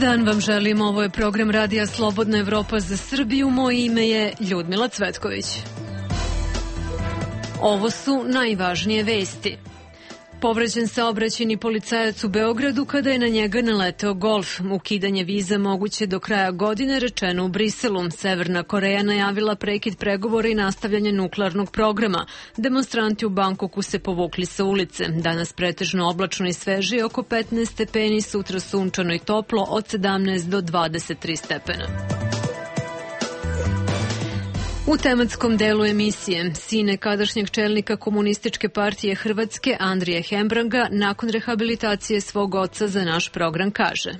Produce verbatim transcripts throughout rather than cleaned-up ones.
dan vam želim, ovo je program Radija Slobodna Evropa za Srbiju, moje ime je Ljudmila Cvetković. Ovo su najvažnije vesti. Povređen saobraćajni policajac u Beogradu kada je na njega naleteo golf. Ukidanje viza moguće do kraja godine, rečeno u Briselu. Severna Koreja najavila prekid pregovora i nastavljanje nuklearnog programa. Demonstranti u Bangkoku se povukli sa ulice. Danas pretežno oblačno i sveže, oko petnaest stepeni, sutra sunčano i toplo od sedamnaest do dvadeset tri stepena. U tematskom delu emisije, sine kadašnjeg čelnika Komunističke partije Hrvatske Andrije Hembranga nakon rehabilitacije svog oca za naš program kaže: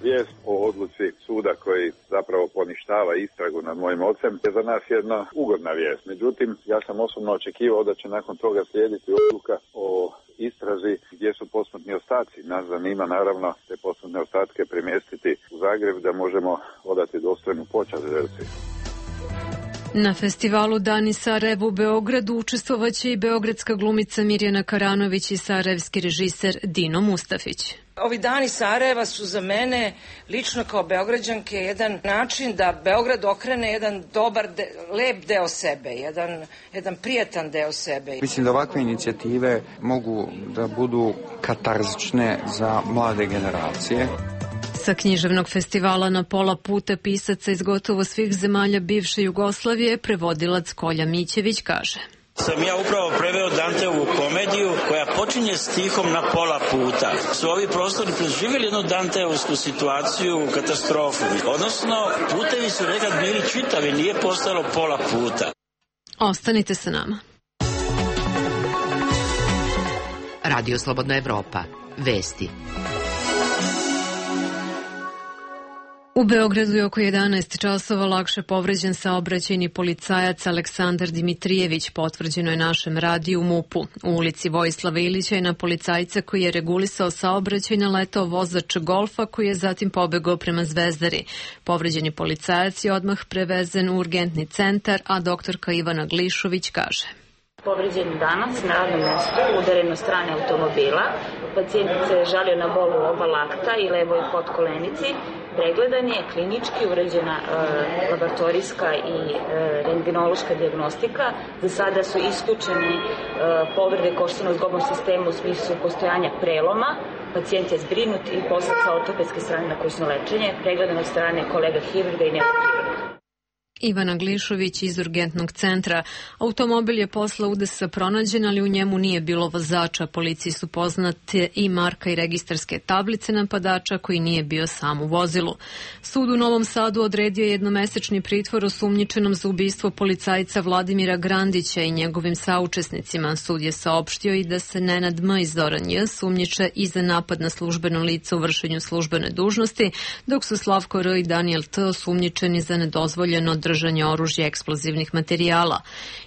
Vijest o odluci suda koji zapravo poništava istragu nad mojim ocem je za nas jedna ugodna vijest. Međutim, ja sam osobno očekivao da će nakon toga slijediti odluka o istrazi gdje su posmrtni ostaci. Nas zanima naravno te posmrtne ostatke premjestiti u Zagreb da možemo odati dostojnu počast žrtvi. Na festivalu Dani Sarajeva u Beogradu učestvovaće i beogradska glumica Mirjana Karanović i sarajevski režiser Dino Mustafić. Ovi dani Sarajeva su za mene, lično kao Beograđanke, jedan način da Beograd okrene jedan dobar, de, lep deo sebe, jedan, jedan prijatan deo sebe. Mislim da ovakve inicijative mogu da budu katarzične za mlade generacije. Sa književnog festivala Na pola puta pisaca iz gotovo svih zemalja bivše Jugoslavije, prevodilac Kolja Mićević kaže: Sam ja upravo preveo Danteovu komediju koja počinje stihom Na pola puta. Su ovi prostori preživjeli jednu Danteovsku situaciju, katastrofu. Odnosno, putevi su nekad bili čitavi, nije postalo pola puta. Ostanite sa nama. Radio Slobodna Evropa. Vesti. U Beogradu je oko jedanaest časova lakše povređen saobraćajni policajac Aleksandar Dimitrijević, potvrđeno je našem radiju MUP-u. U ulici Vojislava Ilića je na policajca koji je regulisao saobraćaj naletao vozač golfa koji je zatim pobegao prema Zvezdari. Povređeni policajac je odmah prevezen u urgentni centar, a doktorka Ivana Glišović kaže: Povređen danas na radnom mjestu, udaren od strane automobila. Pacijent se žalio na bol u oba lakta i levoj podkolenici. Pregledan je, klinički urađena e, laboratorijska i e, rentgenološka dijagnostika. Za sada su isključeni e, povrede koštano-zgobnog sistema u smislu postojanja preloma. Pacijent je zbrinut i poslat sa ortopedske strane na kućno lečenje, pregledan od strane kolega hirurga i neurohirurga. Ivana Glišović iz urgentnog centra. Automobil je posle udesa pronađen, ali u njemu nije bilo vozača. Policiji su poznate i marka i registarske tablice napadača koji nije bio sam u vozilu. Sud u Novom Sadu odredio jednomesečni pritvor osumnjičenom za ubistvo policajca Vladimira Grandića i njegovim saučesnicima. Sud je saopštio i da se Nenad M. i Zoran J. sumnjiče i za napad na službeno lice u vršenju službene dužnosti, dok su Slavko R. i Daniel T. osumnjičeni za nedozvoljeno držanje oružja i eksplozivnih materijala.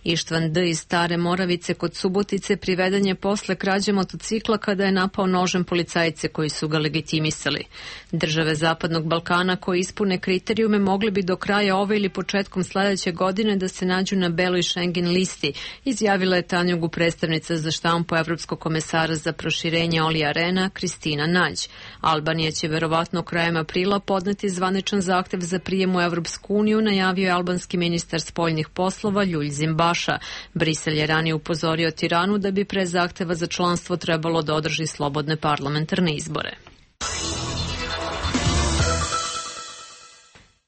Ištvan D. iz Stare Moravice kod Subotice priveden je posle krađe motocikla kada je napao nožem policajce koji su ga legitimisali. Države Zapadnog Balkana koje ispune kriterijume mogli bi do kraja ove ili početkom sledeće godine da se nađu na beloj Schengen listi, izjavila je Tanjugu predstavnica za štampu Evropskog komesara za proširenje Olija Rena Kristina Nađ. Albanija će verovatno krajem aprila podneti zvaničan zahtev za prijem u Evropsku uniju, najavio je albanski ministar spoljnih poslova Ljulj Zimbaša. Brisel je ranije upozorio Tiranu da bi pre zahteva za članstvo trebalo da održi slobodne parlamentarne izbore.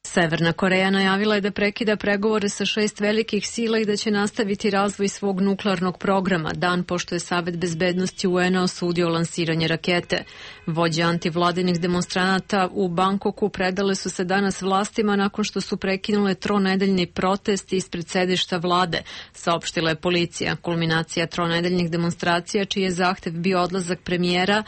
Severna Koreja najavila je da prekida pregovore sa šest velikih sila i da će nastaviti razvoj svog nuklearnog programa, dan pošto je Savet bezbednosti U N-a osudio lansiranje rakete. Vođe antivladinih demonstranata u Bangkoku predale su se danas vlastima nakon što su prekinule tronedeljni protest ispred sedišta vlade, saopštila je policija. Kulminacija tronedeljnih demonstracija, čiji je zahtev bio odlazak premijera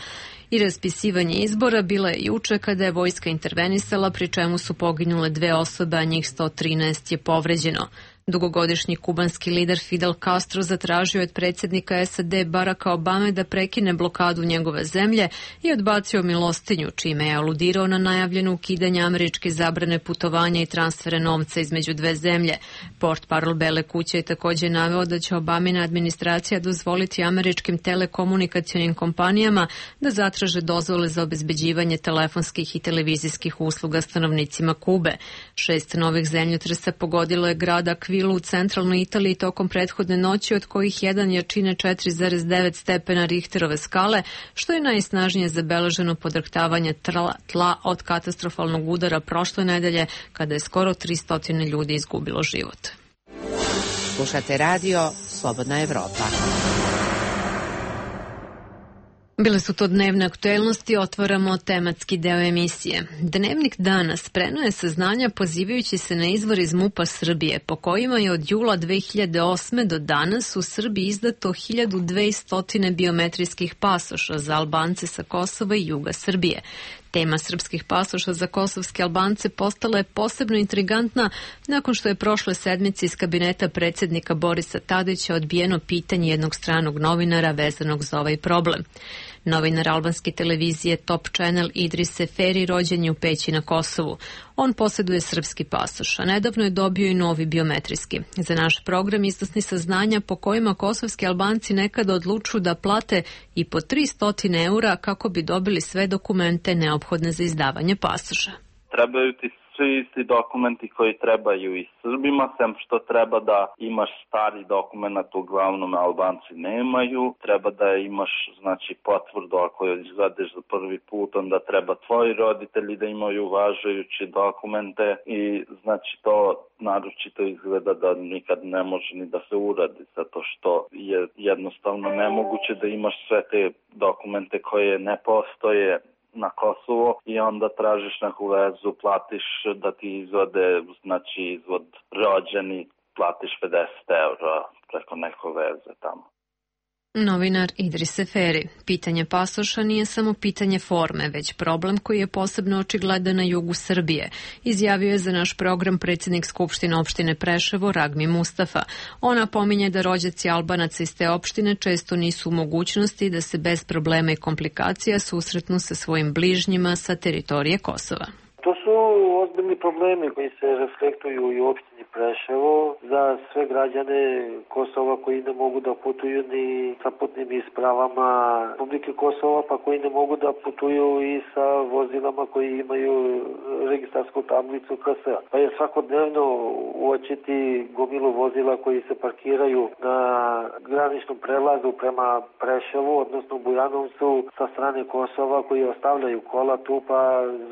i raspisivanje izbora, bila je juče kada je vojska intervenisala, pri čemu su poginule dve osobe, a njih sto trinaest je povređeno. Dugogodišnji kubanski lider Fidel Castro zatražio od predsjednika S A D Baracka Obame da prekine blokadu njegove zemlje i odbacio milostinju, čime je aludirao na najavljeno ukidanje američke zabrane putovanja i transfere novca između dve zemlje. Portparol Bele kuće je također naveo da će Obamina administracija dozvoliti američkim telekomunikacionim kompanijama da zatraže dozvole za obezbeđivanje telefonskih i televizijskih usluga stanovnicima Kube. Šest novih zemljotresa pogodilo je grad Akvilu u centralnoj Italiji tokom prethodne noći, od kojih jedan jačine četiri zarez devet stepena Richterove skale, što je najsnažnije zabeleženo podrhtavanje tla, tla od katastrofalnog udara prošle nedelje, kada je skoro tristo ljudi izgubilo život. Slušate radio Slobodna Evropa. Bile su to dnevne aktuelnosti, otvaramo tematski deo emisije. Dnevnik danas prenoje saznanja pozivajući se na izvor iz MUP-a Srbije, po kojima je od jula dve hiljade osme do danas u Srbiji izdato hiljadu dvesta biometrijskih pasoša za Albance sa Kosova i juga Srbije. Tema srpskih pasoša za kosovske Albance postala je posebno intrigantna nakon što je prošle sedmice iz kabineta predsjednika Borisa Tadića odbijeno pitanje jednog stranog novinara vezanog za ovaj problem. Novinar albanske televizije Top Channel Idris Seferi rođen je u Peći na Kosovu. On posjeduje srpski pasoš, a nedavno je dobio i novi biometrijski. Za naš program iznosni saznanja po kojima kosovski Albanci nekada odlučuju da plate i po tristo eura kako bi dobili sve dokumente neophodne za izdavanje pasoša. Trebaju ti svi isti dokumenti koji trebaju i Srbima, sem što treba da imaš stari dokument, uglavnom Albanci nemaju. Treba da imaš, znači, potvrdu ako izvadeš za prvi put, onda treba tvoji roditelji da imaju važejući dokumente i znači to naročito izgleda da nikad ne može ni da se uradi, zato što je jednostavno nemoguće da imaš sve te dokumente koje ne postoje na Kosovo i onda tražiš neku vezu, platiš da ti izvode, znači izvod rođeni, platiš pedeset eura preko neko veze tamo. Novinar Idris Seferi. Pitanje pasoša nije samo pitanje forme, već problem koji je posebno očigledan na jugu Srbije. Izjavio je za naš program predsjednik Skupštine opštine Preševo Ragmi Mustafa. Ona pominje da rođaci Albanaca iz te opštine često nisu u mogućnosti da se bez problema i komplikacija susretnu sa svojim bližnjima sa teritorije Kosova. To su ozbiljni problemi koji se reflektuju i u opštini Preševo za sve građane Kosova koji ne mogu da putuju ni sa putnim ispravama Republike Kosova, pa koji ne mogu da putuju i sa vozilama koji imaju registarsku tablicu K S. Pa je svakodnevno uočiti gomilu vozila koji se parkiraju na graničnom prelazu prema Preševu, odnosno Bujanovcu sa strane Kosova, koji ostavljaju kola tu pa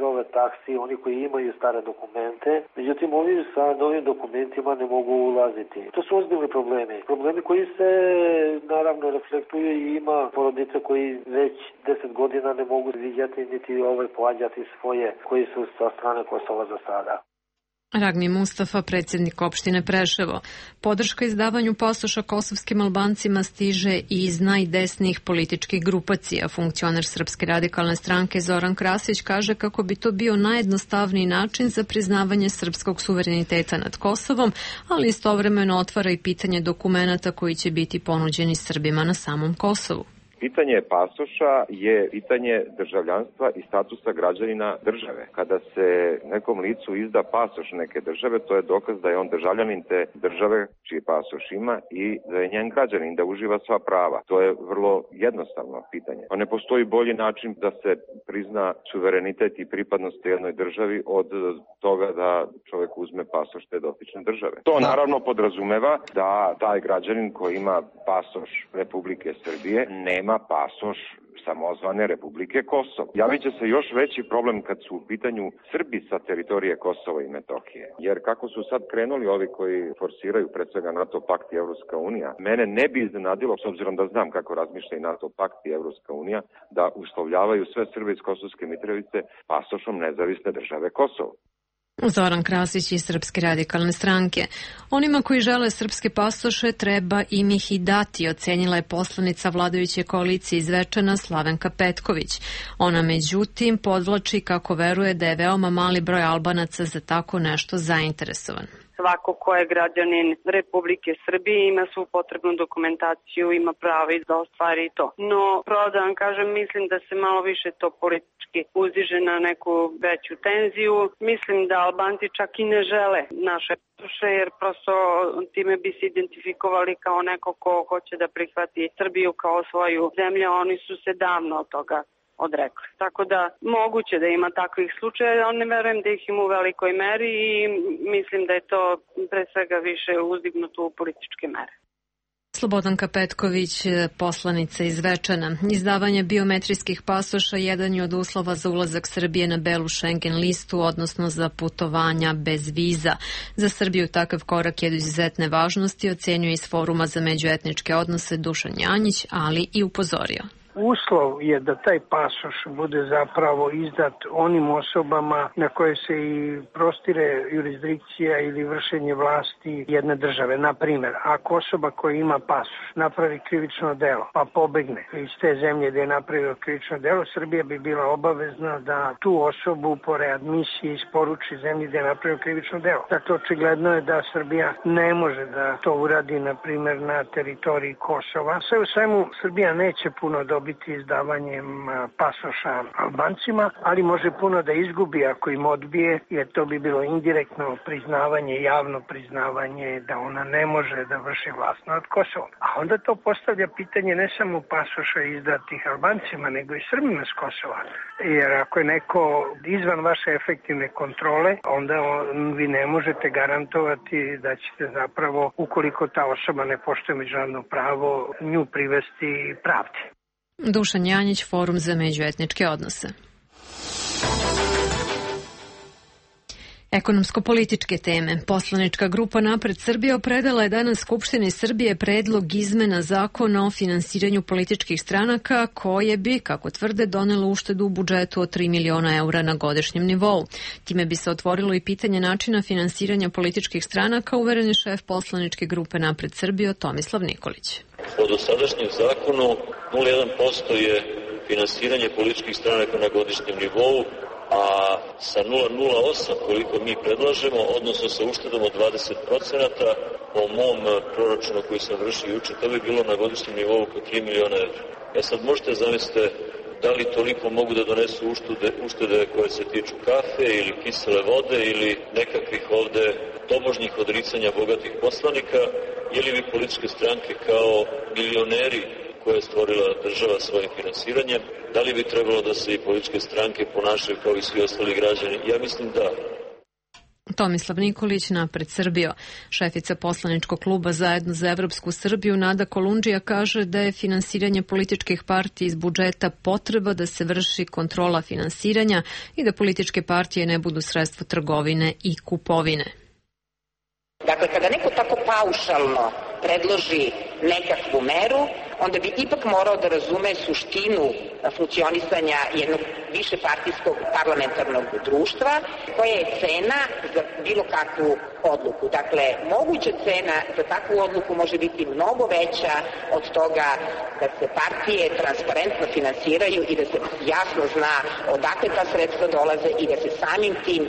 zove taksi, oni koji imaju stare dokumente. Međutim, oni sa novim dokumentima ne mogu ulaziti. To su ozbiljni problemi. Problemi koji se naravno reflektuju i ima porodice koji već deset godina ne mogu vidjeti niti ovaj pohađati svoje koji su sa strane Kosova za sada. Ragmi Mustafa, predsjednik opštine Preševo. Podrška izdavanju pasoša kosovskim Albancima stiže i iz najdesnijih političkih grupacija. Funkcioner Srpske radikalne stranke Zoran Krasić kaže kako bi to bio najjednostavniji način za priznavanje srpskog suvereniteta nad Kosovom, ali istovremeno otvara i pitanje dokumenata koji će biti ponuđeni Srbima na samom Kosovu. Pitanje pasoša je pitanje državljanstva i statusa građanina države. Kada se nekom licu izda pasoš neke države, to je dokaz da je on državljanin te države čiji pasoš ima i da je njen građanin, da uživa sva prava. To je vrlo jednostavno pitanje. Pa ne postoji bolji način da se prizna suverenitet i pripadnost jednoj državi od toga da čovjek uzme pasoš te dotične države. To naravno podrazumeva da taj građanin koji ima pasoš Republike Srbije nema pasoš samozvane Republike Kosovo. Javit će se još veći problem kad su u pitanju Srbi sa teritorije Kosova i Metohije. Jer kako su sad krenuli ovi koji forsiraju pred svega NATO pakt i Evropska unija, mene ne bi iznenadilo, s obzirom da znam kako razmišlja i NATO pakt i Evropska unija, da uslovljavaju sve Srbe iz Kosovske Mitrovice pasošom nezavisne države Kosovo. Zoran Krasić iz Srpske radikalne stranke. Onima koji žele srpske pasoše treba im ih i dati, ocenila je poslanica vladajuće koalicije iz Zvečana Slavenka Petković. Ona međutim podvlači kako veruje da je veoma mali broj Albanaca za tako nešto zainteresovan. svako ko je građanin Republike Srbije ima svu potrebnu dokumentaciju, ima pravo da ostvari to. No, pravo da vam kažem, mislim da se malo više to politički uzdiže na neku veću tenziju. Mislim da Albanci čak i ne žele naše pasoše, jer prosto time bi se identifikovali kao neko ko hoće da prihvati Srbiju kao svoju zemlju, a oni su se davno od toga odrekli. Tako da moguće da ima takvih slučaja, ali ne verujem da ih ima u velikoj meri i mislim da je to pre svega više uzdignuto u političke mere. Slobodanka Petković, poslanica iz Zvečana. Izdavanje biometrijskih pasoša jedan je od uslova za ulazak Srbije na belu Schengen listu, odnosno za putovanja bez viza. Za Srbiju takav korak je od izuzetne važnosti, ocenjuje iz Foruma za međuetničke odnose Dušan Janjić, ali i upozorio. Uslov je da taj pasoš bude zapravo izdat onim osobama na koje se i prostire jurisdikcija ili vršenje vlasti jedne države. Na primjer, ako osoba koja ima pasoš napravi krivično delo pa pobegne iz te zemlje gdje je napravio krivično delo, Srbija bi bila obavezna da tu osobu po readmisiji isporuči zemlji gdje je napravio krivično delo. Dakle, očigledno je da Srbija ne može da to uradi, na primjer, na teritoriji Kosova. Sve u svemu, Srbija neće puno dobiti izdavanjem pasoša Albancima, ali može puno da izgubi ako im odbije, jer to bi bilo indirektno priznavanje, javno priznavanje da ona ne može da vrši vlast nad Kosovom. A onda to postavlja pitanje ne samo pasoša izdatih Albancima, nego i Srbima s Kosova. Jer ako je neko izvan vaše efektivne kontrole, onda vi ne možete garantovati da ćete zapravo, ukoliko ta osoba ne poštuje međunarodno pravo, nju privesti pravdi. Dušan Janjić, Forum za međuetničke odnose. Ekonomsko-političke teme. Poslanička grupa Napred Srbije predala je danas Skupštini Srbije predlog izmena zakona o finansiranju političkih stranaka koje bi, kako tvrde, donelo uštedu u budžetu od tri miliona eura na godišnjem nivou. Time bi se otvorilo i pitanje načina finansiranja političkih stranaka, uveren je šef poslaničke grupe Napred Srbije Tomislav Nikolić. Po dosadašnjem zakonu nula zarez jedan posto je finansiranje političkih stranaka na godišnjem nivou, a sa nula zarez nula osam koliko mi predlažemo, odnosno sa uštedom od dvadeset procenata, po mom proračunu koji sam vršio juče, to bi bilo na godišnjem nivou oko tri miliona evra. E sad možete zamisliti da li toliko mogu da donesu uštede, uštede koje se tiču kafe ili kisele vode ili nekakvih ovde tobožnjih odricanja bogatih poslanika, ili bi političke stranke kao milioneri koje je stvorila država svojim finansiranjem, da li bi trebalo da se i političke stranke ponašaju kao i svi ostali građani? Ja mislim da. Tomislav Nikolić, Napred Srbiju. Šefica poslaničkog kluba Zajedno za Evropsku Srbiju Nada Kolundžija kaže da je finansiranje političkih partija iz budžeta potreba da se vrši kontrola finansiranja i da političke partije ne budu sredstvo trgovine i kupovine. Dakle, kada neko tako paušalno predloži nekakvu meru, onda bi ipak morao da razume suštinu funkcionisanja jednog višepartijskog parlamentarnog društva, koja je cena za bilo kakvu odluku. Dakle, moguća cena za takvu odluku može biti mnogo veća od toga da se partije transparentno finansiraju i da se jasno zna odakle ta sredstva dolaze i da se samim tim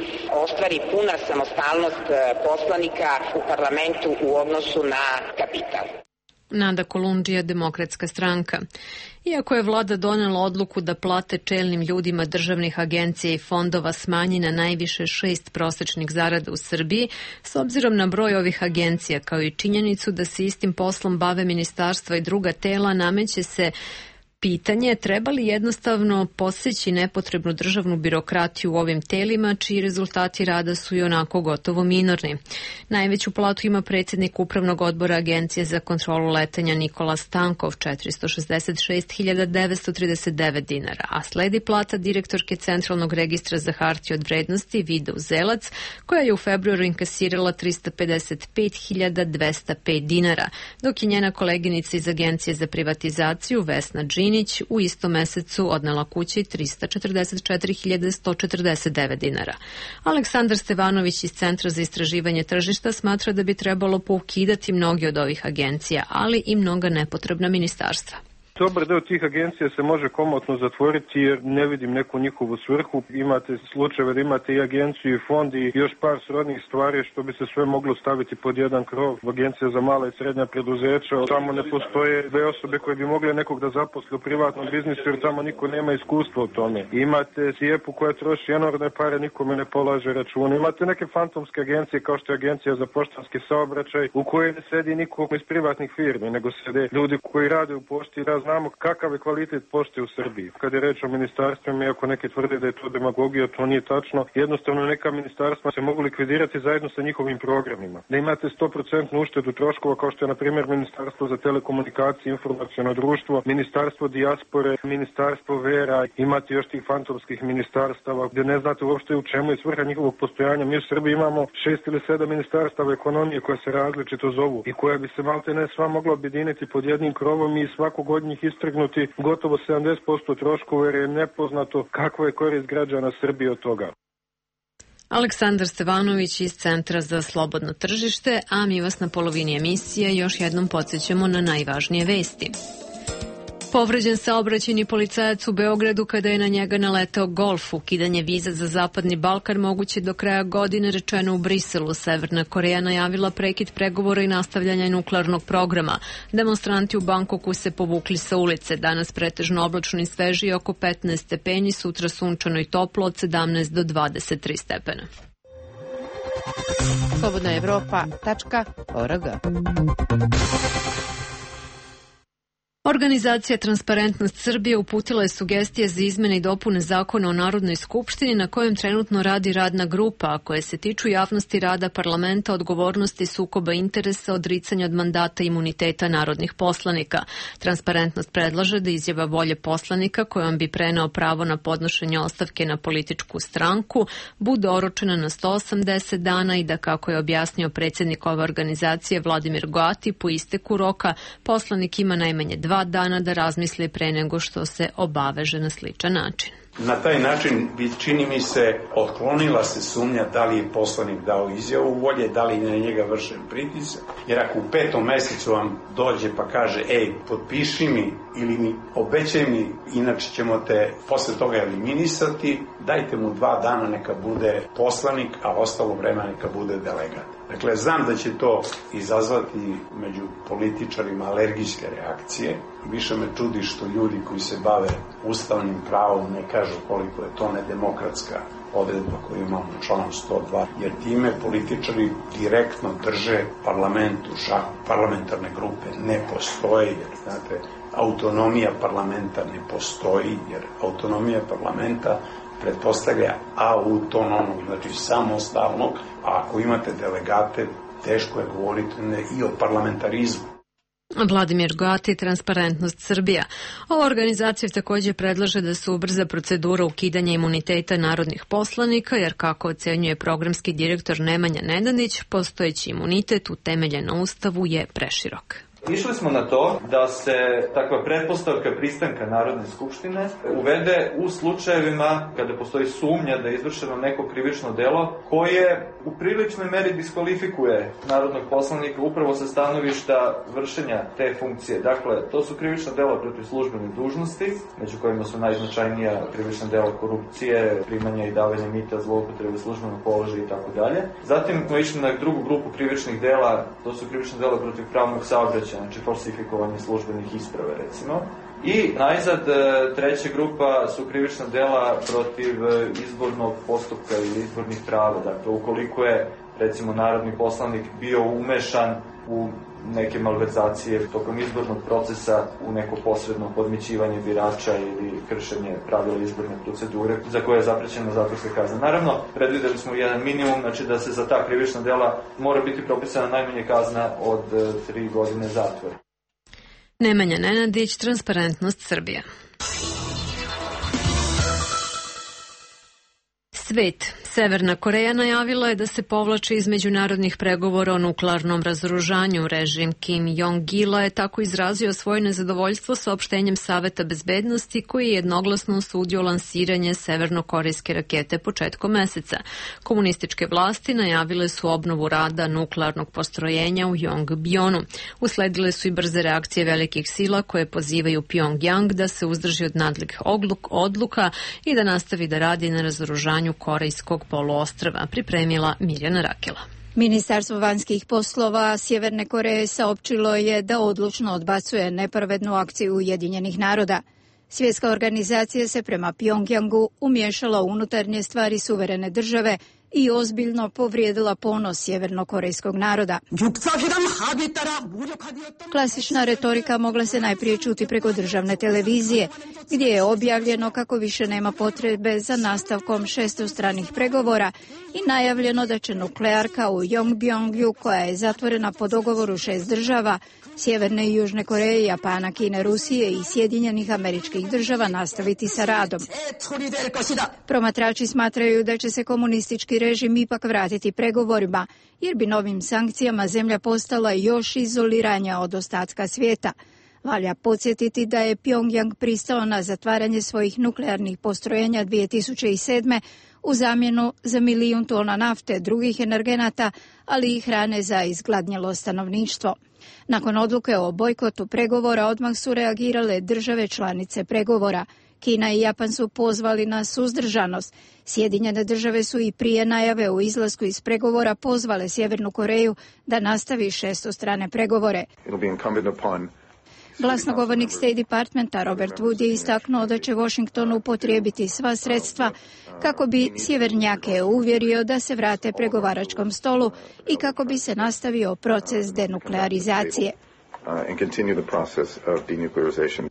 ostvari puna samostalnost poslanika u parlamentu u odnosu na kapital. Nada Kolundžija, Demokratska stranka. Iako je vlada donela odluku da plate čelnim ljudima državnih agencija i fondova smanji na najviše šest prosečnih zarada u Srbiji, s obzirom na broj ovih agencija, kao i činjenicu da se istim poslom bave ministarstva i druga tela, nameće se pitanje treba li jednostavno poseći nepotrebnu državnu birokratiju u ovim telima, čiji rezultati rada su i onako gotovo minorni. Najveću platu ima predsjednik Upravnog odbora Agencije za kontrolu letenja Nikola Stankov, četiristo šezdeset šest hiljada devetsto trideset devet dinara, a sledi plata direktorke Centralnog registra za hartije od vrednosti Vida Uzelac, koja je u februaru inkasirala tristo pedeset pet hiljada dvesta pet dinara, dok je njena koleginica iz Agencije za privatizaciju Vesna Džin u istom mesecu odnela kući tristo četrdeset četiri hiljade sto četrdeset devet dinara. Aleksandar Stevanović iz Centra za istraživanje tržišta smatra da bi trebalo poukidati mnogi od ovih agencija, ali i mnoga nepotrebna ministarstva. Dobar deo tih agencija se može komotno zatvoriti jer ne vidim neku njihovu svrhu. Imate slučajeve da imate i agenciju i fond i još par srodnih stvari što bi se sve moglo staviti pod jedan krov. Agencija za mala i srednja preduzeća, tamo ne postoje dve osobe koje bi mogle nekog da zaposle u privatnom biznisu jer tamo niko nema iskustva u tome. Imate Sijepu koja troši enormne pare, nikome ne polaže račune. Imate neke fantomske agencije kao što je agencija za poštanski saobraćaj u kojoj ne sedi niko iz privatnih firmi, nego sede ljudi koji rade u pošti i da znamo kakav je kvalitet pošte u Srbiji. Kad je reč o ministarstvima, iako neki tvrde da je to demagogija, to nije tačno. Jednostavno neka ministarstva se mogu likvidirati zajedno sa njihovim programima. Da imate sto posto uštedu troškova kao što je na primjer Ministarstvo za telekomunikacije i informaciono društvo, Ministarstvo dijaspore, Ministarstvo vera, imate još tih fantomskih ministarstava gdje ne znate uopšte u čemu je svrha njihovog postojanja. Mi u Srbiji imamo šest ili sedam ministarstava ekonomije koje se različito zovu i koja bi se malte ne sva mogla objediniti pod jednim krovom i svakog od njih istrgnuti gotovo sedamdeset posto troškova jer je nepoznato kakva je korist građana Srbije od toga. Aleksandar Stevanović iz Centra za slobodno tržište, a mi vas na polovini emisije još jednom podsjećamo na najvažnije vesti. Povređen saobraćajni policajac u Beogradu kada je na njega naletao Golf. Ukidanje viza za Zapadni Balkan moguće do kraja godine, rečeno u Briselu. Severna Koreja najavila prekid pregovora i nastavljanja nuklearnog programa. Demonstranti u Bangkoku se povukli sa ulice. Danas pretežno oblačno i sveže, oko petnaest stepeni, sutra sunčano i toplo od sedamnaest do dvadeset tri stepena. slobodna evropa tačka org. Organizacija Transparentnost Srbije uputila je sugestije za izmene i dopune zakona o Narodnoj skupštini na kojem trenutno radi radna grupa, a koje se tiču javnosti rada parlamenta, odgovornosti, sukoba interesa, odricanja od mandata i imuniteta narodnih poslanika. Transparentnost predlaže da izjava volje poslanika kojom bi preneo pravo na podnošenje ostavke na političku stranku bude oročena na sto osamdeset dana i da, kako je objasnio predsjednik ove organizacije Vladimir Goati, po isteku roka poslanik ima najmanje dva dana da razmisli pre nego što se obaveže na sličan način. Na taj način bi, čini mi se, otklonila se sumnja da li je poslanik dao izjavu volje, da li je na njega vršen pritisak. Jer ako u petom mesecu vam dođe pa kaže, ej, potpiši mi ili mi obećaj mi, inače ćemo te posle toga eliminisati, dajte mu dva dana neka bude poslanik, a ostalo vremena neka bude delegat. Dakle, znam da će to izazvati među političarima alergijske reakcije. Više me čudi što ljudi koji se bave ustavnim pravom ne kažu koliko je to nedemokratska odredba koju imamo u članu sto dva, jer time političari direktno drže parlamentu šaku. Parlamentarne grupe ne postoje, jer, znate, autonomija parlamenta ne postoji, jer autonomija parlamenta pretpostavlja autonomnog, znači samostalnog, a ako imate delegate, teško je govoriti i o parlamentarizmu. Vladimir Goati, Transparentnost Srbija. Ova organizacija također predlaže da se ubrza procedura ukidanja imuniteta narodnih poslanika, jer kako ocenjuje programski direktor Nemanja Nedanić, postojeći imunitet utemeljen na Ustavu je preširok. Išli smo na to da se takva pretpostavka pristanka Narodne skupštine uvede u slučajevima kada postoji sumnja da je izvršeno neko krivično delo koje u priličnoj meri diskvalifikuje narodnog poslanika upravo sa stanovišta vršenja te funkcije. Dakle, to su krivična dela protiv službene dužnosti, među kojima su najznačajnija krivična dela korupcije, primanja i davanja mita, zloupotrebe službenog položaja i tako dalje. Zatim smo išli na drugu grupu krivičnih dela, to su krivična dela protiv pravnog saobraćaja, znači falsifikovanje službenih isprave, recimo. I najzad, treća grupa su krivična dela protiv izbornog postupka ili izbornih prava. Dakle, ukoliko je, recimo, narodni poslanik bio umešan u neke malverzacije tokom izbornog procesa, u neko posredno podmićivanje birača ili kršenje pravila izborne procedure, za koje je zaprećena zatvorska kazna. Naravno, predvideli smo jedan minimum, znači da se za ta krivična dela mora biti propisana najmanje kazna od tri godine zatvora. Nemanja Nenadić, Transparentnost Srbije. Svet. Severna Koreja najavila je da se povlači iz međunarodnih pregovora o nuklearnom razoružanju. Režim Kim Jong-ila je tako izrazio svoje nezadovoljstvo saopštenjem Saveta bezbednosti koji je jednoglasno osudio lansiranje severnokorejske rakete početkom meseca. Komunističke vlasti najavile su obnovu rada nuklearnog postrojenja u Yongbyon-u. Usledile su i brze reakcije velikih sila koje pozivaju Pyongyang da se uzdrži od nadležnih odluka i da nastavi da radi na razoružanju korejskog poluostrva, pripremila Mirjana Rakela. Ministarstvo vanjskih poslova Sjeverne Koreje saopćilo je da odlučno odbacuje nepravednu akciju Ujedinjenih naroda. Svjetska organizacija se prema Pyongyangu umiješala u unutarnje stvari suverene države i ozbiljno povrijedila ponos sjevernokorejskog naroda. Klasična retorika mogla se najprije čuti preko državne televizije, gdje je objavljeno kako više nema potrebe za nastavkom šestostranih pregovora i najavljeno da će nuklearka u Yongbyon-u, koja je zatvorena po dogovoru šest država, Sjeverne i Južne Koreje, Japana, Kine, Rusije i Sjedinjenih Američkih Država, nastaviti sa radom. Promatrači smatraju da će se komunistički režim ipak vratiti pregovorima, jer bi novim sankcijama zemlja postala još izoliranja od ostatka svijeta. Valja podsjetiti da je Pyongyang pristao na zatvaranje svojih nuklearnih postrojenja dvije tisuće sedme u zamjenu za milijun tona nafte, drugih energenata, ali i hrane za izgladnjelo stanovništvo. Nakon odluke o bojkotu pregovora odmah su reagirale države članice pregovora. Kina i Japan su pozvali na suzdržanost. Sjedinjene države su i prije najave o izlasku iz pregovora pozvale Sjevernu Koreju da nastavi šestostrane pregovore. Glasnogovornik State Departmenta Robert Wood je istaknuo da će Washington upotrijebiti sva sredstva kako bi sjevernjake uvjerio da se vrate pregovaračkom stolu i kako bi se nastavio proces denuklearizacije.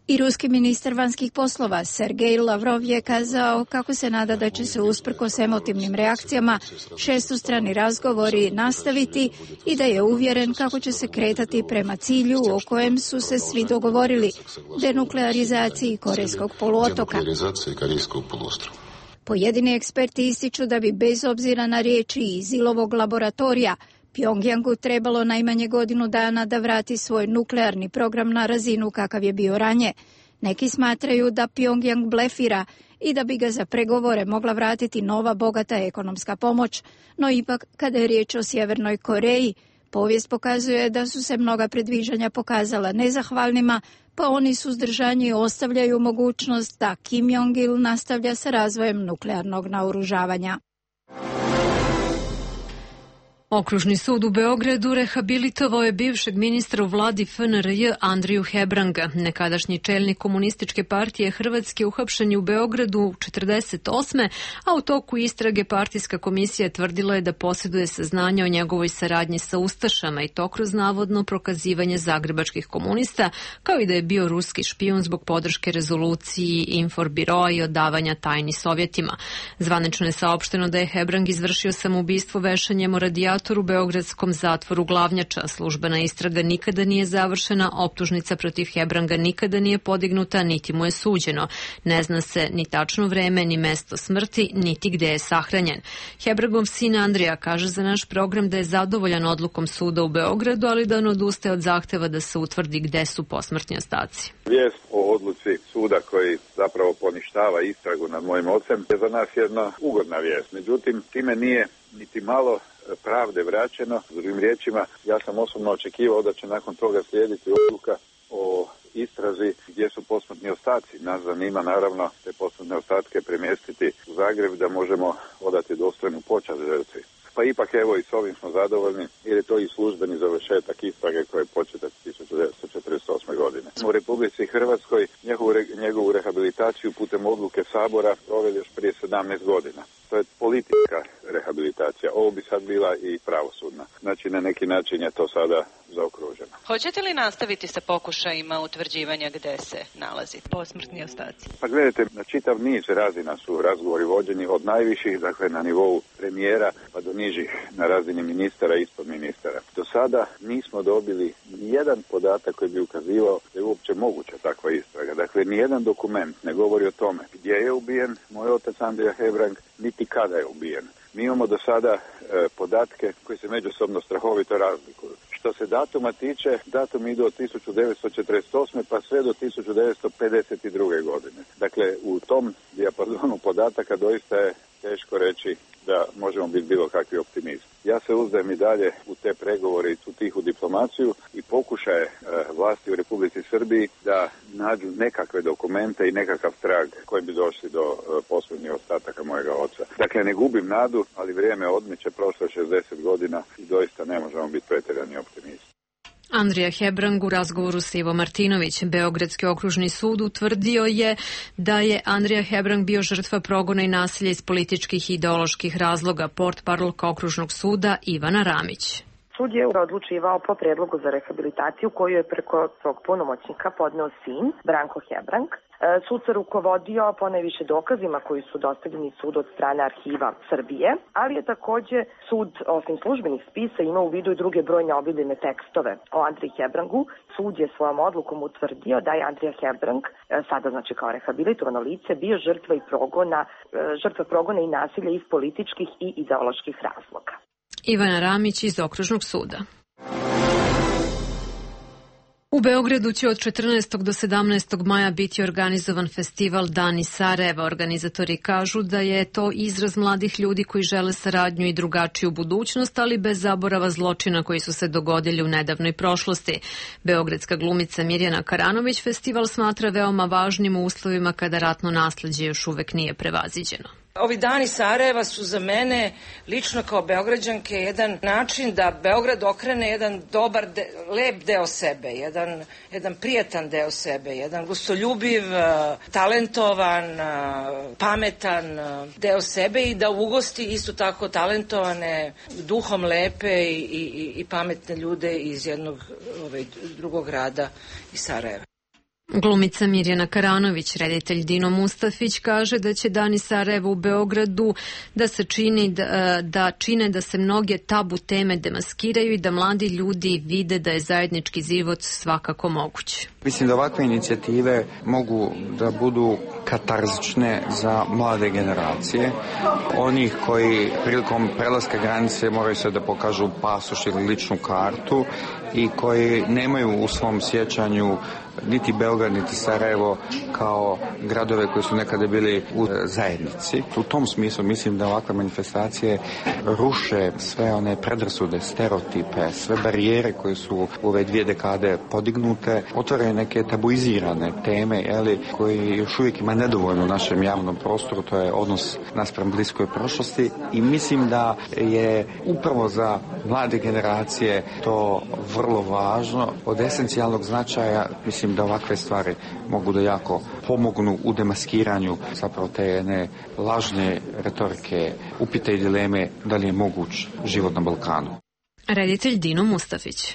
I ruski ministar vanjskih poslova Sergej Lavrov je kazao kako se nada da će se usprkos emotivnim reakcijama šestostrani razgovori nastaviti i da je uvjeren kako će se kretati prema cilju o kojem su se svi dogovorili, denuklearizaciji Korejskog poluotoka. Pojedini eksperti ističu da bi bez obzira na riječi iz Ilovog laboratorija Pyongyangu trebalo najmanje godinu dana da vrati svoj nuklearni program na razinu kakav je bio ranije. Neki smatraju da Pyongyang blefira i da bi ga za pregovore mogla vratiti nova bogata ekonomska pomoć, no ipak kada je riječ o Sjevernoj Koreji, povijest pokazuje da su se mnoga predviđanja pokazala nezahvalnima, pa oni suzdržani ostavljaju mogućnost da Kim Jong-il nastavlja sa razvojem nuklearnog naoružavanja. Okružni sud u Beogradu rehabilitovao je bivšeg ministra u vladi F N R J Andriju Hebranga. Nekadašnji čelnik Komunističke partije Hrvatske uhapšen je u Beogradu četrdeset osme, a u toku istrage partijska komisija tvrdila je da posjeduje saznanja o njegovoj saradnji sa ustašama i to kroz navodno prokazivanje zagrebačkih komunista, kao i da je bio ruski špijun zbog podrške rezoluciji Inforbiroa i odavanja tajni Sovjetima. Zvanično je saopšteno da je Hebrang izvršio samoubistvo vešanjem o radijatoru u beogradskom zatvoru Glavnjača. Službena istraga nikada nije završena, optužnica protiv Hebranga nikada nije podignuta, niti mu je suđeno. Ne zna se ni tačno vreme, ni mesto smrti, niti gde je sahranjen. Hebrangov sin Andrija kaže za naš program da je zadovoljan odlukom suda u Beogradu, ali da on odustaje od zahteva da se utvrdi gde su posmrtni ostaci. Vijest o odluci suda koji zapravo poništava istragu nad mojim ocem je za nas jedna ugodna vijest. Međutim, time nije niti malo pravde vraćeno. S drugim riječima, ja sam osobno očekivao da će nakon toga slijediti odluka o istrazi gdje su posmrtni ostaci. Nas zanima naravno te posmrtne ostatke premjestiti u Zagreb da možemo odati dostojnu počast žrtvi. Pa ipak evo i s ovim smo zadovoljni jer je to i službeni završetak istrage koja je početa tisuću devetsto četrdeset osme. godine. U Republici Hrvatskoj njegovu, njegovu rehabilitaciju putem odluke Sabora proveli još prije sedamnaest godina. To je politička rehabilitacija. Ovo bi sad bila i pravosudna. Znači na neki način je to sada zaokruženo. Hoćete li nastaviti sa pokušajima utvrđivanja gde se nalazi posmrtni ostaci? Pa gledajte, na čitav niz razina su razgovori vođeni od najviših, dakle na nivou premijera, pa do nižih na razini ministara i ispod ministara. Do sada nismo dobili nijedan podatak koji bi ukazivao da je uopće moguća takva istraga. Dakle, nijedan dokument ne govori o tome gdje je ubijen moj otac Andrija Hebrang, niti kada je ubijen. Mi imamo do sada e, podatke koji se međusobno strahovito razlikuju. Što se datuma tiče, datum idu od tisuću devetsto četrdeset osme pa sve do tisuću devetsto pedeset druge godine. Dakle, u tom dijapazonu podataka doista je teško reći da možemo biti bilo kakvi optimisti. Ja se uzdajem i dalje u te pregovore i tu tihu diplomaciju i pokušaje e, vlasti u Republici Srbiji da nađu nekakve dokumente i nekakav trag koji bi došli do e, posljednjih ostataka mojega oca. Dakle, ne gubim nadu, ali vrijeme odmiče, prošlo je šezdeset godina i doista ne možemo biti pretjerani optimisti. Andrija Hebrang u razgovoru s Ivo Martinović. Beogradski okružni sud utvrdio je da je Andrija Hebrang bio žrtva progona i nasilja iz političkih i ideoloških razloga. Portparolka okružnog suda Ivana Ramić. Sud je odlučivao po predlogu za rehabilitaciju koju je preko svog punomoćnika podneo sin, Branko Hebrang. Sud se rukovodio ponajviše dokazima koji su dostavljeni sudu od strane Arhiva Srbije, ali je takođe sud, osim službenih spisa, imao u vidu i druge brojne obiljene tekstove o Andriji Hebrangu. Sud je svojom odlukom utvrdio da je Andrija Hebrang, sada znači kao rehabilitovano lice, bio žrtva i progona, žrtva progona i nasilja iz političkih i ideoloških razloga. Ivana Ramić iz okružnog suda. U Beogradu će od četrnaestog do sedamnaestog maja biti organizovan festival Dani Sarajeva. Organizatori kažu da je to izraz mladih ljudi koji žele saradnju i drugačiju budućnost, ali bez zaborava zločina koji su se dogodili u nedavnoj prošlosti. Beogradska glumica Mirjana Karanović festival smatra veoma važnim u uslovima kada ratno nasleđe još uvek nije prevaziđeno. Ovi dani Sarajeva su za mene, lično kao Beograđanke, jedan način da Beograd okrene jedan dobar, de, lep deo sebe, jedan, jedan prijatan deo sebe, jedan gostoljubiv, talentovan, pametan deo sebe i da ugosti isto tako talentovane, duhom lepe i, i, i pametne ljude iz jednog ovaj, drugog grada iz Sarajeva. Glumica Mirjana Karanović, reditelj Dino Mustafić kaže da će Dani Sarajeva u Beogradu da se čini da, da čine da se mnoge tabu teme demaskiraju i da mladi ljudi vide da je zajednički život svakako moguć. Mislim da ovakve inicijative mogu da budu katarzične za mlade generacije, onih koji prilikom prelaska granice moraju se da pokažu pasoš ili ličnu kartu i koji nemaju u svom sjećanju niti Beograd, niti Sarajevo kao gradove koji su nekada bili u zajednici. U tom smislu mislim da ovakve manifestacije ruše sve one predrasude, stereotipe, sve barijere koje su u ove dvije dekade podignute, otvaraju neke tabuizirane teme, jeli, koji još uvijek ima nedovoljno u našem javnom prostoru, to je odnos naspram bliskoj prošlosti i mislim da je upravo za mlade generacije to vrlo važno, od esencijalnog značaja. Mislim da ovakve stvari mogu da jako pomognu u demaskiranju zapravo te jedne lažne retorike, upite i dileme da li je moguć život na Balkanu. Reditelj Dino Mustafić.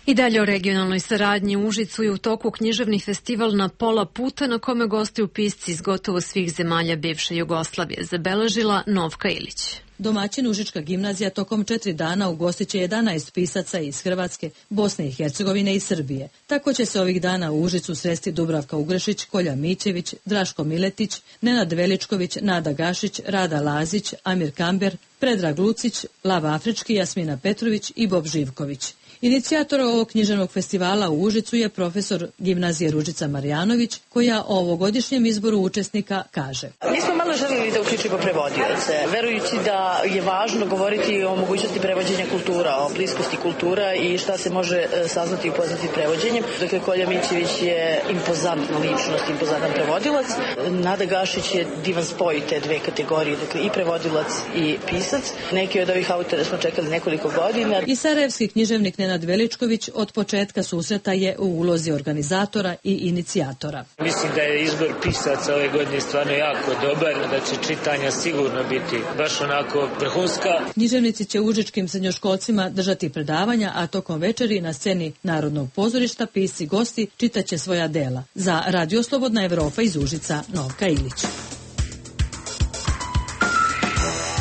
I dalje o regionalnoj saradnji. U Užicu je u toku književni festival Na pola puta na kome gostuju pisci iz gotovo svih zemalja bivše Jugoslavije, zabeležila Novka Ilić. Domaćin Užička gimnazija tokom četiri dana ugostit će jedanaest pisaca iz Hrvatske, Bosne i Hercegovine i Srbije. Tako će se ovih dana u Užicu sresti Dubravka Ugrešić, Kolja Mićević, Draško Miletić, Nenad Veličković, Nada Gašić, Rada Lazić, Amir Kamber, Predrag Lucić, Lav Afrički, Jasmina Petrović i Bob Živković. Inicijator ovog književnog festivala u Užicu je profesor gimnazije Ružica Marjanović, koja o ovogodišnjem izboru učesnika kaže. Mi smo malo želili da uključimo prevodioce, verujući da je važno govoriti o mogućnosti prevođenja kultura, o bliskosti kultura i šta se može saznati i upoznati prevođenjem. Dakle, Kolja Mićević je impozantna ličnost, impozantan prevodilac. Nada Gašić je divan spoj te dve kategorije, dakle i prevodilac i pisac. Neki od ovih autora smo čekali nekoliko godina. I sarajevski književnik Nenad Veličković od početka susreta je u ulozi organizatora i inicijatora. Mislim da je izbor pisaca ove godine stvarno jako dobar, da će čitanja sigurno biti baš onako vrhunska. Književnici će užičkim srednjoškolcima držati predavanja, a tokom večeri na sceni Narodnog pozorišta pisci gosti čitaće svoja dela. Za Radio Slobodna Evropa iz Užica, Novka Ilić.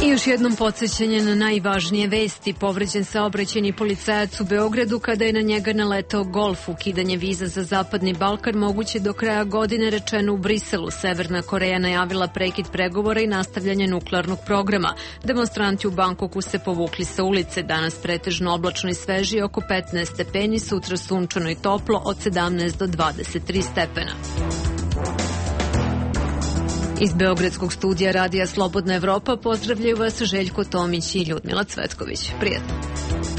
I još jednom podsjećanje na najvažnije vesti. Povređen saobraćajni policajac u Beogradu kada je na njega naletao Golf. Ukidanje viza za Zapadni Balkan moguće do kraja godine, rečeno u Briselu. Severna Koreja najavila prekid pregovora i nastavljanje nuklearnog programa. Demonstranti u Bangkoku se povukli sa ulice. Danas pretežno oblačno i sveži, oko petnaest stepeni, sutra sunčano i toplo od sedamnaest do dvadeset tri stepena. Iz Beogradskog studija Radija Slobodna Evropa pozdravljaju vas Željko Tomić i Ljudmila Cvetković. Prijatno.